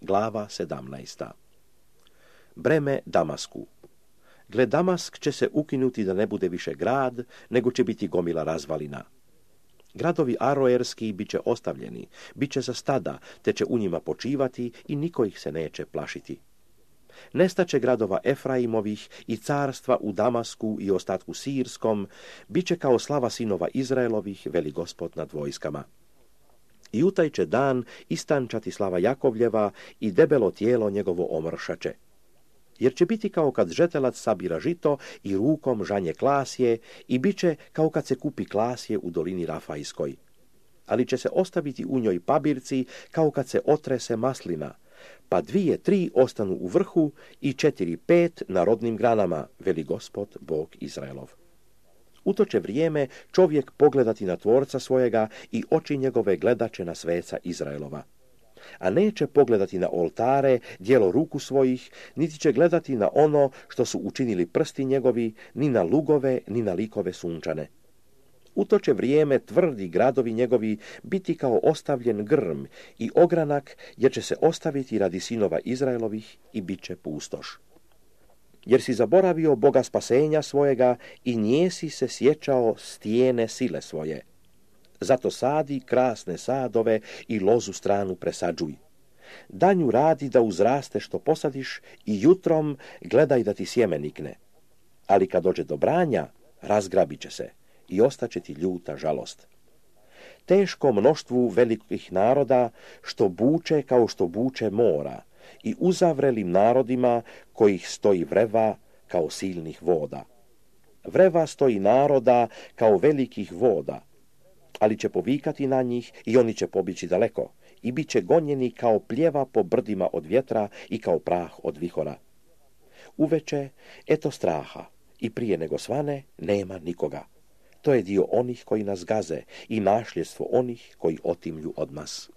glava 17. Breme Damasku. Gle, Damask će se ukinuti da ne bude više grad, nego će biti gomila razvalina. Gradovi aroerski bit će ostavljeni, bit će za stada, te će u njima počivati i niko ih se neće plašiti. Nestaće gradova Efraimovih i carstva u Damasku i ostatku Sirskom, bit će kao slava sinova Izraelovih, veli Gospod nad vojskama. I u taj će dan istančati slava Jakovljeva i debelo tijelo njegovo omršaće. Jer će biti kao kad žetelac sabira žito i rukom žanje klasje i bit će kao kad se kupi klasje u dolini Rafajskoj. Ali će se ostaviti u njoj pabirci kao kad se otrese maslina, pa 2, 3 ostanu u vrhu i 4, 5 na rodnim granama, veli Gospod Bog Izraelov. U to će vrijeme čovjek pogledati na tvorca svojega i oči njegove gledaće na sveca Izraelova. A neće pogledati na oltare, djelo ruku svojih, niti će gledati na ono što su učinili prsti njegovi, ni na lugove, ni na likove sunčane. U to će vrijeme tvrdi gradovi njegovi biti kao ostavljen grm i ogranak, jer će se ostaviti radi sinova Izraelovih i bit će pustoš. Jer si zaboravio Boga spasenja svojega i njesi se sjećao stijene sile svoje. Zato sadi krasne sadove i lozu stranu presađuj. Danju radi da uzraste što posadiš i jutrom gledaj da ti sjeme nikne. Ali kad dođe do branja, razgrabit će se i ostaće ti ljuta žalost. Teško mnoštvu velikih naroda što buče kao što buče mora i uzavrelim narodima kojih stoji vreva kao silnih voda. Vreva stoji naroda kao velikih voda, ali će povikati na njih i oni će pobići daleko i bit će gonjeni kao pljeva po brdima od vjetra i kao prah od vihora. Uveče, eto straha, i prije nego svane nema nikoga. To je dio onih koji nas gaze i našljedstvo onih koji otimlju od nas.